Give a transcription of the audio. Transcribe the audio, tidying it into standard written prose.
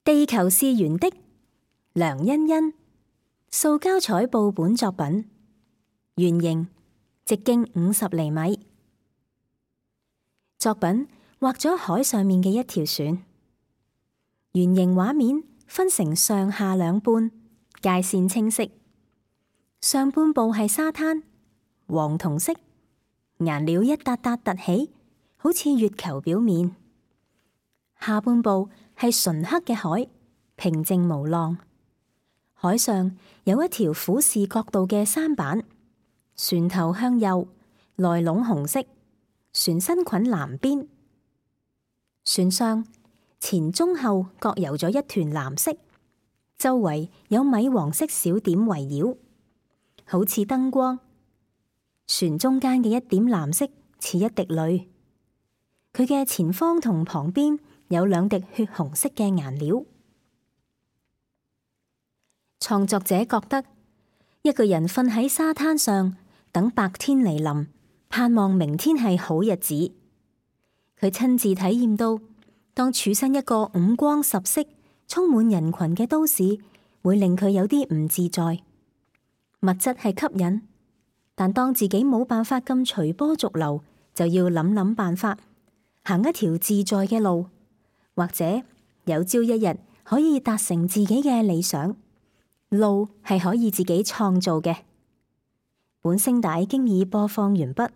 地球是圓的，梁欣欣，塑膠彩布本作品，圓形，直徑50厘米。作品畫咗海上面嘅一條船，圓形畫面分成上下兩半，界線清晰。上半部係沙灘，黃銅色，顏料一笪笪凸起，好似月球表面。下半部係純黑嘅海，平靜無浪。海上有一條俯視角度嘅舢板，船頭向右，內籠紅色，船身裙藍邊。船上前中後各游咗一團藍色，周圍有米黃色小點圍繞，好似燈光。船中間嘅一點藍色似一滴淚，佢嘅前方同旁邊有兩滴血紅色嘅顏料。創作者覺得一個人瞓喺沙灘上，等白天嚟臨，盼望明天係好日子。佢親自體驗到，當處身一個五光十色、充滿人群嘅都市，會令佢有啲唔自在。物質係吸引，但當自己冇辦法咁隨波逐流，就要諗辦法，行一條自在嘅路，或者有朝一日可以達成自己嘅理想。路係可以自己創造嘅。本聲帶經已播放完畢。